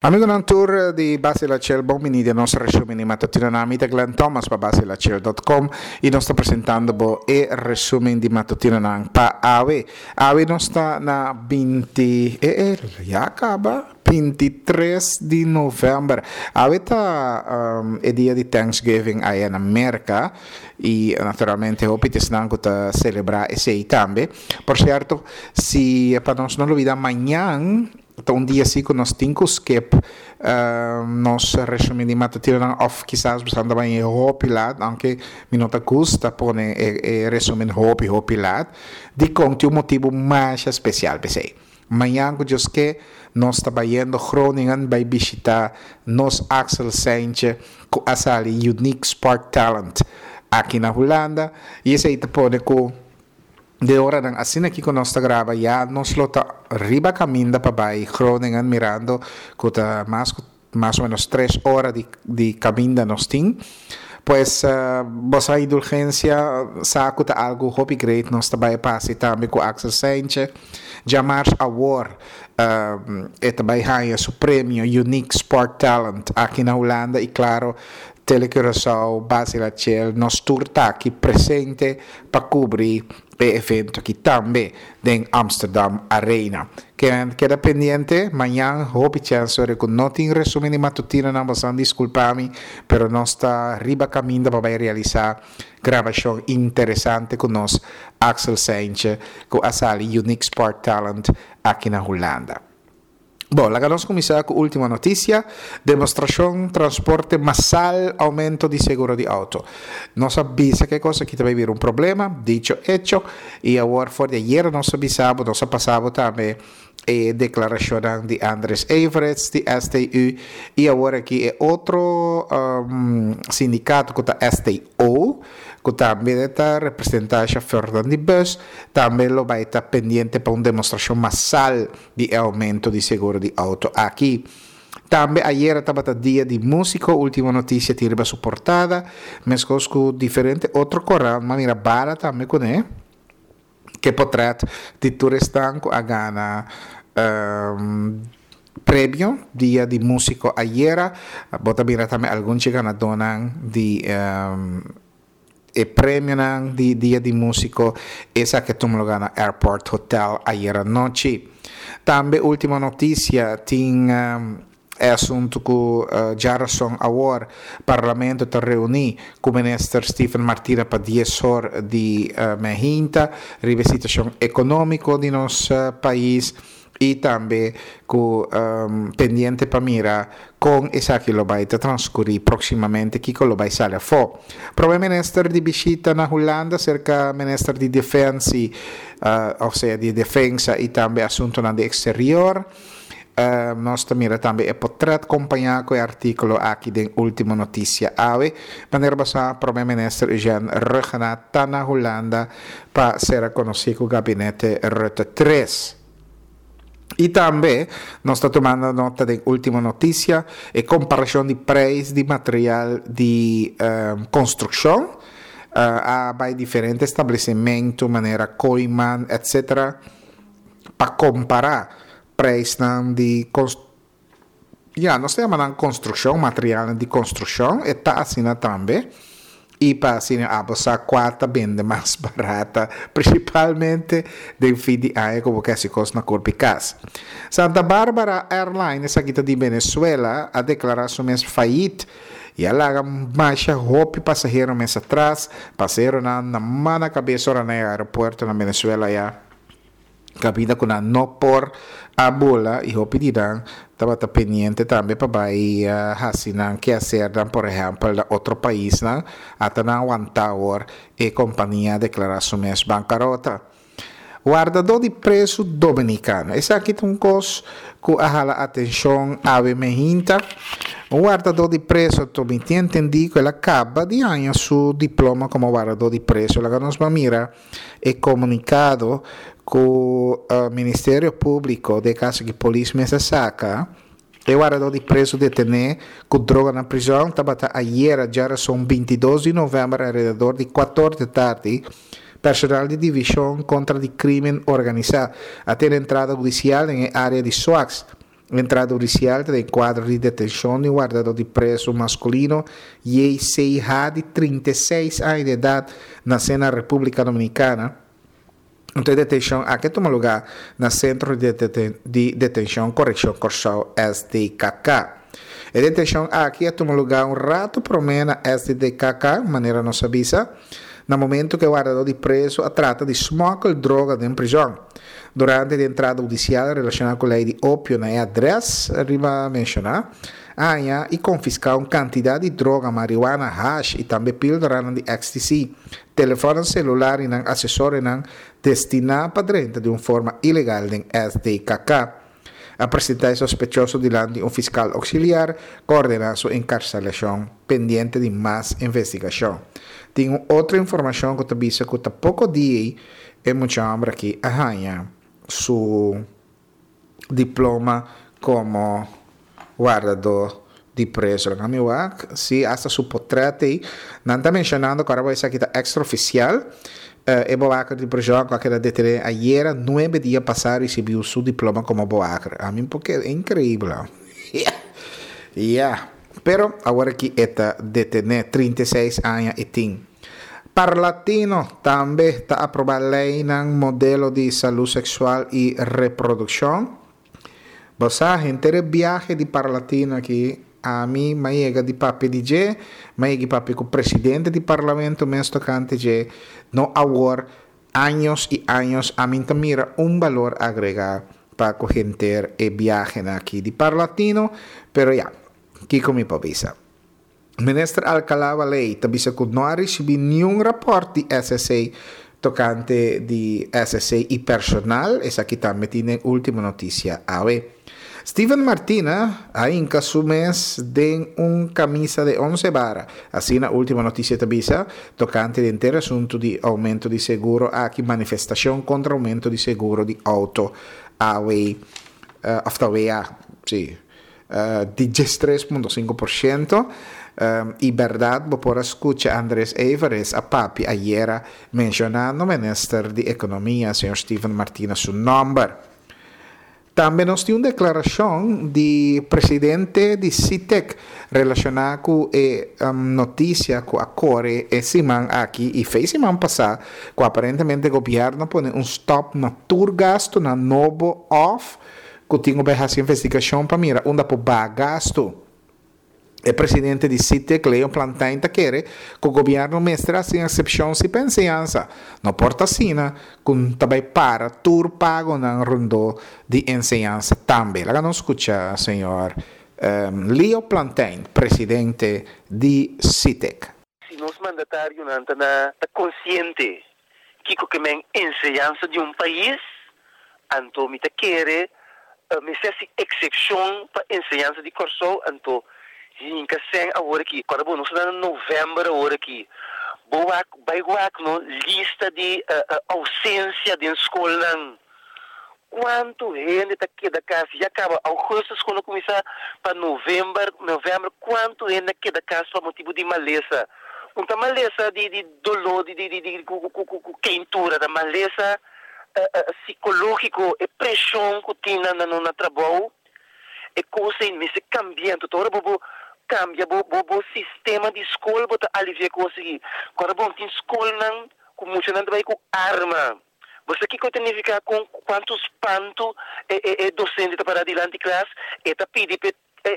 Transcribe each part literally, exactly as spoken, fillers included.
Amigonan tur di Basilachel, bon bini den nos resumen di matutino. Na mi ta Glenn Thomas pa basilachel punto com y nos ta presentando bo e resumen di matutino nan pa awe. Awe nos ta na binti, eh, eh, ya a caba, bintitres di november. Awe ta um, e dia di Thanksgiving aya na Merca y naturalmente hopi t'esnan cu ta celebra esey tambe. Por cierto, si pa nos no lubida, mañan ta un dia asina cu nos tin cu skip uh, nos resumen di matutino of kisas pensando bay hopi laat, aunke mi no ta gusta pone e, e resumen hopi hopi laat, dicon tin un motibo mas especial p'esey. Mañan, cu Dios kier, nos ta bayendo Groningen bay bishita nos Axel Saintje cu a sali Unique Sport Talent aki na Hulanda y esey ta pone cu di ora dan asina aki cu nos ta graba ya nos lo ta riba caminda pa bay Groningen, mirando cu ta mas mas o menos tres ora di, di caminda nos tin. Pues uh, boso indulgencia, sa cu ta algo hopi great nos ta bay pasa tambe cu Axel Saintje. Diamars awor uh, e ta bay haya su premio Unique Sport Talent aki na Hulanda y claro, Tele Curaçao, Basilachel, nos tur ta aki presente pa cubri e evento aki tambe den Amsterdam Arena. Keda pendiente, mañan hopi chance cu no tin resumen di matutino, no, boso disculpa mi, pero nos ta riba caminda pa realisa grabacion interesante cu nos Axel Saintje, cu a sali Unique Sport Talent aki na Hulanda. Bon, laga nos cuminsa cu Ultimo Noticia. Demonstracion transporte masal, aumento di seguro di auto. Nos a bisa cu e cos aki tambe bira un problema, dicho hecho, y awor for di ayera nos a bisa, nos a pasa tambe e declaracion di Andres Everts di S T U y awor aki e otro um, sindicato cu ta S T O, cu tambe ta representa chauffeur di bus, tambe lo bay ta pendiente pa un demonstracion masal di aumento di seguro di auto aki. Tambe ayera tabata Dia di Musico. Ultimo Noticia tin riba su portada, mescos cu diferente otro corant, ma mira Bala tambe cu ne, cu portret di tur esnan cu a gana um, premio Dia di Musico ayera. Bo ta mira tambe algun ganadonan di um, e premio di Dia di Musico, esaki a tuma luga na Airport Hotel ayera nochi. Tambe Ultimo Noticia tin um, e asunto cu uh, diarason awor Parlamento ta reuni cu minister Steven Martina pa dies or di uh, mainta riba situacion economico di nos uh, pais y tambe cu um, pendiente pa mira con esaki lo bay transcuri proximamente, kico lo bay sali afo. Prome minister di bishita na Hulanda cerca minister di Defensa, uh, o sea, di Defensa y tambe Asunto di Exterior. Uh, nos mira tambe e portret acompaña cu e articulo aki di Ultimo Noticia awe. Manera bo sa, Prome Minister Eugene Rhuggenaath ta na Hulanda pa ser conoci cu gabinete Rutte tres. Y tambe nos ta tumando nota di Ultimo Noticia e comparacion di prijs di material di um, construccion uh, a bay diferente establecimento manera Kooyman, et cetera pa compara prijsnan di ja, nos ta yama construccion, material di construccion, e ta asina tambe. Y pa asina abo sa cua ta bende mas barata, principalmente den fin di aña cu cu cos na curpa cas. Santa Barbara Airlines, esaki ta di Venezuela, a declara su mes failliet y a laga masha hopi pasahero mes atras, pasaheronan na man na cabes ora na aeropuerto na Venezuela ya cabida cu nan no por a bula y hopi di nan tabata pendiente tambe pa bay uh, haci nan quehacer dan, por ehempel, na otro paisnan. Ata nan wanta awor e compania a declara su mes bancarota. Wardador di preso dominicano. Esaki ta un cos cu a hala atencion awe mainta. Un wardador di preso, mi ta entendi cu el a caba di gana su diploma como wardador di preso. Laga nos mira e comunicado cu uh, Ministerio Publico, den caso cu polis mes a saca. E wardador di preso deteni cu droga na prison tabata ayera, diarason bintidos di november, alrededor di cuater di atardi, personal di Division contra di Crimen Organisa a tene entrada hudicial den area di Souax. Entrada hudisial ta den kuadro di detenshon di un wardadó di prezu maskulino J C H di trinta i seis aña di edat, nasé na Repúblika Dominikana. Anto e detenshon aki a tuma lugá na Sentro di Detenshon Korekshon Kòrsou, S D K K. E detenshon aki a tuma lugá un ratu promé na S D K K, manera nos a bisa, na momento ku e wardadó di prezu a trata di smòkel droga den prizòn. Durante di entrada hudisial relashoná ku lei di opio na e adrès riba menshoná, a haña i konfiská un kantidat di droga, marihuana, hash i tambe píldoranan di X T C, telefòn selular i nan asesorionan destiná pa drenta di un forma ilegal den S D K K. A presentá e sospechoso dilanti un fiskal ouksiliar ku a ordená su enkarselashon pendiente di mas investigashon. Tin un otro informashon ku ta bisa ku ta poko dia e mucha hòmber aki a haña su diploma komo wardadó di preso. Laga mi wak, si hasta su potrèt ei. Nan ta menshonando ku ora esaki ta extraofisial. E bewaker di prison ku a keda detené ayera, nuebe dia pasá, a risibí su diploma komo bewaker. Ami porque e inkreibel. Yeah. Yeah. Pero awor aki e ta detené, trinta i seis aña e tin. Parlatino tambe ta aprobá lei modelo di salú seksual i reprodukshon. Bo sa, henter biahe di Parlatino aki, ami m'a yega di papia di dje, m'a yega di papia ku presidente di parlamento mes tokante dje, no awor, años i años, ami ta mira un balor agregá pa ku henter e biahe aki di Parlatino, pero ya, kiko mi por bisa. Minister Alcalá Ley ta bisa ku no a risibí ningun rapòrt di S S A tokante di S S A i personal, esaki tambe tin Último Notisia awe. Steven Martina a hinka su mes den un kamisa di onse bara. Asina Último Notisia ta bisa, tokante di henter asuntu di oumento di seguro, aki manifestashon kontra oumento di seguro di outo awe, uh, òf W A, si, uh, di diestres punto sinku porshento. Um, i berdat, bo por a skucha Andres Everest a papia ayera menshonando minister di Ekonomia, señor Steven Martina, su nòmber. Tambe nos tin un deklarashon di presidente di SITEK relashoná ku e um, notisia ku a kore e siman aki i fe siman pasá ku aparentemente gobièrnu a pone un stop na tur gastu na nobo òf ku tin ku hasi investigashon pa mira unda por baha gastu. E presidente di SITEK, Leo Plantijn, ta kere ku gobièrnu mester hasi eksepshon si pa enseñansa. No por ta asina ku tambe para tur pagonan rondó di enseñansa tambe. Laga nos skucha señor um, Leo Plantijn, presidente di SITEK. Si nos mandatarionan ta ta konsiente kiko ke men enseñansa di un pais, anto mi ta kere uh, mester hasi eksepshon pa enseñansa di Kòrsou, anto hinka sèn awor aki. Awor bon, nos ta na novèmber awor aki. Bo wak, bai wak no lista di uh, uh, ousensia di skolnan. Kuantu hende ta keda kas? Ya kaba ougùstùs skol a kuminsá, pa novèmber, novèmber kuantu hende keda kas pa motibu di malesa? No ta malesa di, di doló, di, di, di, di ku, ku, ku, ku keintura, ta malesa uh, uh, sikológiko i preshon ku tin na, na, na trabou. E kos ei mester kambia. Anto, ora bo kambia bo, bo, bo sistema di skol, bo ta aliviá kos aki. Awor bon, tin skolnan ku muchanan ta bai ku arma. Bo sa kiko ta nifiká, ku kuantu spantu e, e, e dosente ta para dilanti klas, e ta pidi pe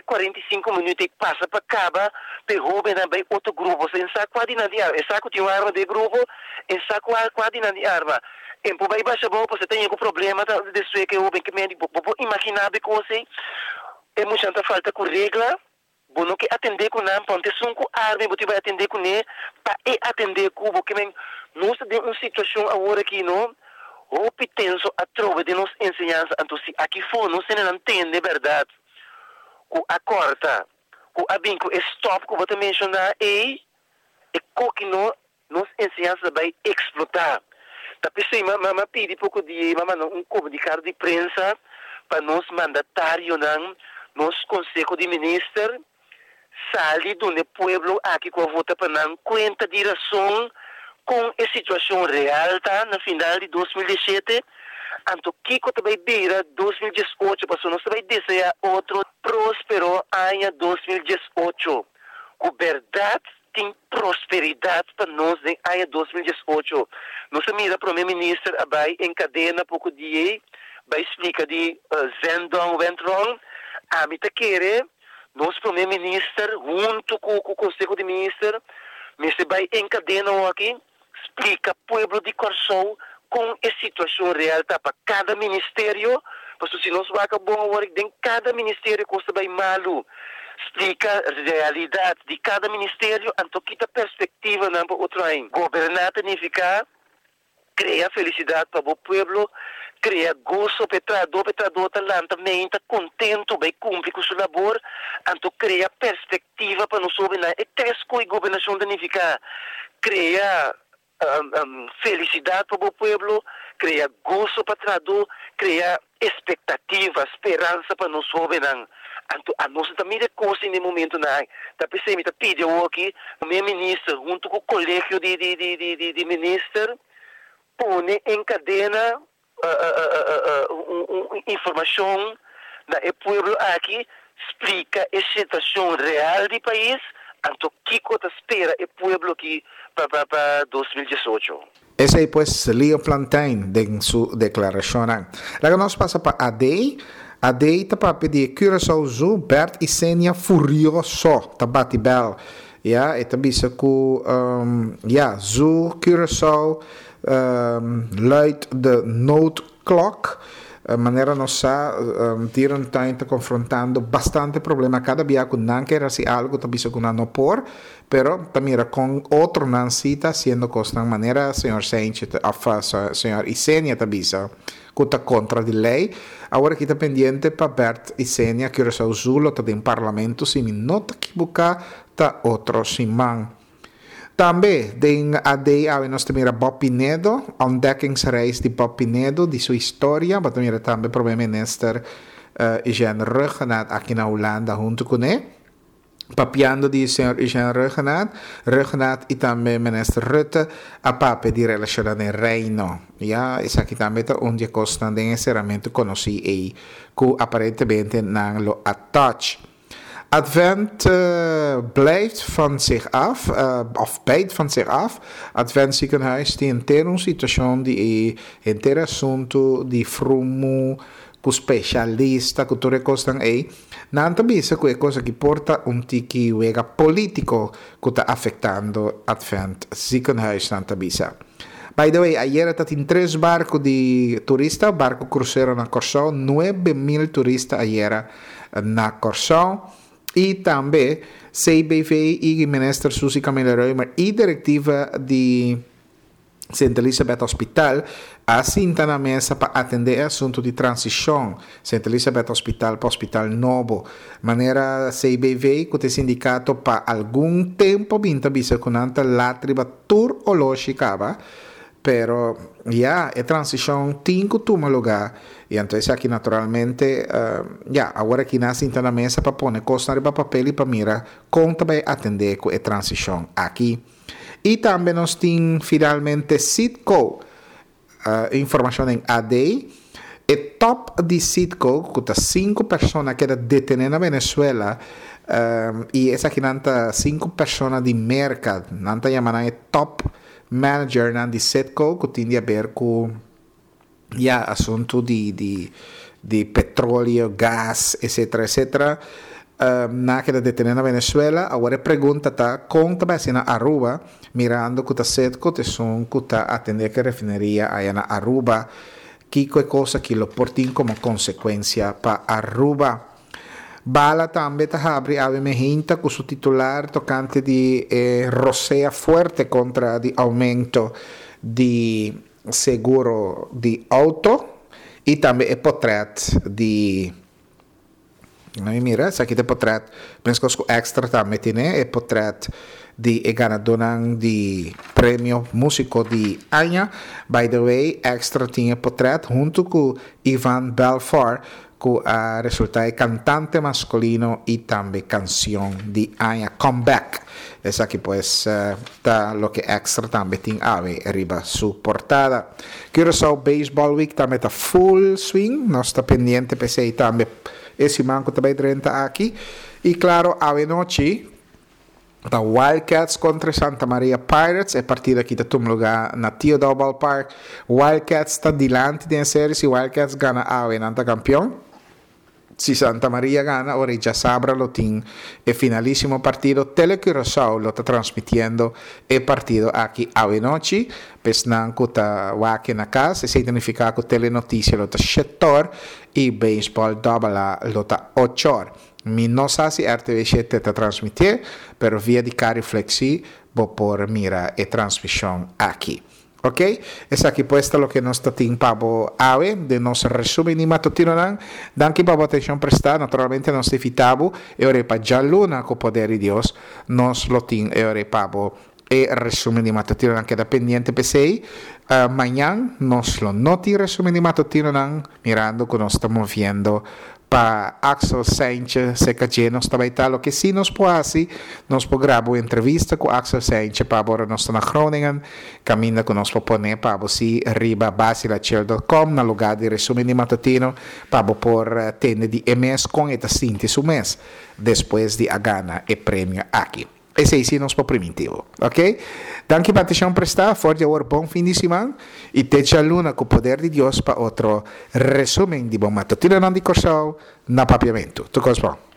kuarenta i sinku minüt i pasa pa kaba pe hóbennan bai otro grupo. E sa kua di nan tin arma. E sa ku tin arma den grupo, e sa kua kua di nan tin arma. E por bai basha bou, bo tin un problema ta despues ku hóben ke men bo bo imaginá be kos ei. E muchanan ta falta ku regla. Bo no ke atendé ku nan, ponte sun ku arma, bo bai atendé kuné, pa e atendé ku bo ke men nos ta den un situashon awor aki no. Hopi tenso atrobe den nos enseñansa, anto si aki fo nos no tende berdat ku a kòrta, ku a bin ku stop ku bo ta menshoná ei, e koki no nos enseñansa bai eksplotá. Ta p'esei m'a m'a pidi poko dia, m'a manda un komunikado di prensa pa nos mandatarionan, nos konseho di minister, sali duna pueblo aki ku a vota pa nan kuenta di rason kon e situashon real ta na final di dos mil diesshete. Anto kiko ta bai bira dos mil diesocho, paso nos ta bai deseá otro próspero aña dos mil diesocho. Ku berdat tin prosperidat pa nos den aña dos mil diesocho. Nos a mira promé minister a bai en kadena poko dia, bai splika di uh, Zendong went wrong. Ami ta kere nos promé minister huntu ku e konseho di minister, mester bai en kadena aki, splika pueblo di Kòrsou ku e situashon real ta pa kada ministerio, pasobra si nos wak bon awor, den kada ministerio kos ta bai malu. Splika realidat di kada ministerio, anto ki ta perspektiva nan pa otro aña. Goberná ta nifiká krea felisidat pa e pueblo, krea goso pa trahadó, pa trahadó ta lanta mente kontentu, bai kumpli ku su labor, anto krea perspektiva pa nos na e tres ku gobernashon ta nifiká krea um, um, felisidat pa e pueblo, krea goso pa trahadó, krea ekspektativa, speransa pa nos hóbennan. Anto, nos tambe ta kos na momento nan. Ta p'esei mi ta pidi aki, promé minister, huntu ku e kolegio di, di, di, di, di, di minister, pone en kadena uh, uh, uh, uh, un, un, informashon na e pueblo aki, splika e situashon real di pais, anto kiko ta spera e pueblo aki pa pa pa dos mil diesocho. Esei pues Leo Plantein den su deklarashon. Laga nos pasa pa A D. A D ta papia di Curaçao Zoo, Bert Isenia furioso, ta bati bel. Ja, e ta bisa ku um, ja, Zoo Curaçao um, luidt de noodklok. Uh, manera nos sa, um, dierentuin ta konfrontando bastante problema kada dia ku nan ke hasi algu, ta bisa ku no por, pero tambe ku otro nan si ta hasiendo kos na manera señor Sanchez of señor Isenia ta bisa ku ta kontra di lei. Awor aki ta pendiente pa Bert Isenia, Curaçao Zoo lo ta den parlamento, si mi no ta ekivoká, ta otro siman. Tambe, den A D awe nos ta mira Bob Pinedo, ontdekkingsreis di Bob Pinedo, di su historia, ma mira tambe promé minister uh, Eugene Rhuggenaath aki na Hulanda huntu kuné. Papiando di señor Eugene Rhuggenaath, Rhuggenaath i tambe minister Rutte a papia di relashon den Reino. Ja, esaki tambe ta un di kos den enseramentu konosí i ku aparentemente nan lo a touch. Advent uh, blijft van zich af, uh, of bijt van zich af. Advent ziekenhuis tin henter un situashon di henter asuntu di frumu, ku spesialista, ku tur kos ei. Nan ta bisa ku e kos aki por ta un tiki wega polítiko ku ta afektando Advent ziekenhuis, nan ta bisa. By the way, ayera tabatin tres barku di turista, barku krusero na Kòrsou, nuebe mil turista ayera na Kòrsou. I tambe C B V i minister Suzy Camelia-Römer i direktiva di Saint Elizabeth Hospital a sinta na mesa pa atendé e asuntu di transishon Saint Elizabeth Hospital pa hospital nobo. Manera C B V, ku e sindikato pa algun tempu bin ta bisa ku nan ta lat riba tur oloshi kaba, pero ya e transishon tin ku tuma lugá i anto aki naturalmente uh, ya awor aki nan a sinta na mesa pa pone kos riba papel i pa mira kon ta bai atendé ku e transishon aki. I tambe nos tin finalmente Citgo, uh, informashon den A D. E top di Citgo, ku ta sinku persona ku a keda detené na Venezuela, um, i esaki nan ta sinku persona di Merka, nan ta yama e top manager nan di Citgo, ku tin di aber ku ya asuntu di, di, di petroleo, gas, et cetera, et cetera. Um, nan a keda detené na Venezuela. Awor e pregunta ta kon ta bai na Aruba, mirando ku ta Citgo ta esun ku ta atendé ku refineria ei na Aruba. Kiko e kos aki lo por tin komo konsekuensia pa Aruba? Bala tambe ta habri awe mainta ku su titular tokante di eh, rosea fuerte kontra di oumento di seguro di outo i tambe e portrèt di No, mira, esaki ta portret, meskos ku Extra tambe tin e portret di e ganadónan di premio músiko di aña. By the way, Extra tin e portret huntu ku Ivan Belfort, ku a resultá kantante maskulino i tambe kansion di aña, Comeback. Esaki pues ta loke Extra tambe tin awe riba su portada. Curaçao Baseball Week tambe ta full swing, nos ta pendiente p'esei tambe e siman ku tambe drenta aki. I klaro, awe nochi ta Wildcats kontra Santa Maria Pirates, e partido aki ta tuma lugá na Tio Daou Ballpark. Wildcats ta dilanti den serie, si Wildcats gana awe, nan ta kampeon. Si Santa Maria gana, ora djasabra lo tin e finalísimo partido. Tele Curaçao lo ta transmitiendo e partido aki awe nochi. Pa esnan ku ta wak e na kas, esei ta nifiká ku Telenotisia lo ta shet'or i Baseball Double A lo ta och'or. Mi no sa si R T V shete ta transmití, pero via di Cariflex bo por mira e transmishon aki. Ok? Esaki pues ta loke nos tin pa awe, di nos resúmen di matutinonan. Danki pa e atenshon prestá. Naturalmente nos ta invitá bo e ora pa djaluna, ku poder di Dios, nos lo tin e ora pa e resúmen di matutinonan. Keda pendiente p'esei. Uh, mañan nos lo no tin resúmen di matutinonan, mirando ku nos ta moviendo pa Axel Sanchez serka nos tambe ta. Loke si nos por hasi, nos por graba un entrevista ku Axel Sanchez pa ora nos ta na Groningen, kaminda ku nos por pone pa si riba basilachel punto com na lugá di resúmen di matutino, pa por tende di e mes kon e ta sinti su mes despues di a gana e premio aki. Esei si nos por primintí bo, ok? Danki pa atenshon prestá. For di awor, bon fin di siman i te djaluna ku poder di Dios pa otro resúmen di bon matutinonan di Kòrsou na Papiamentu. Tur kos bon.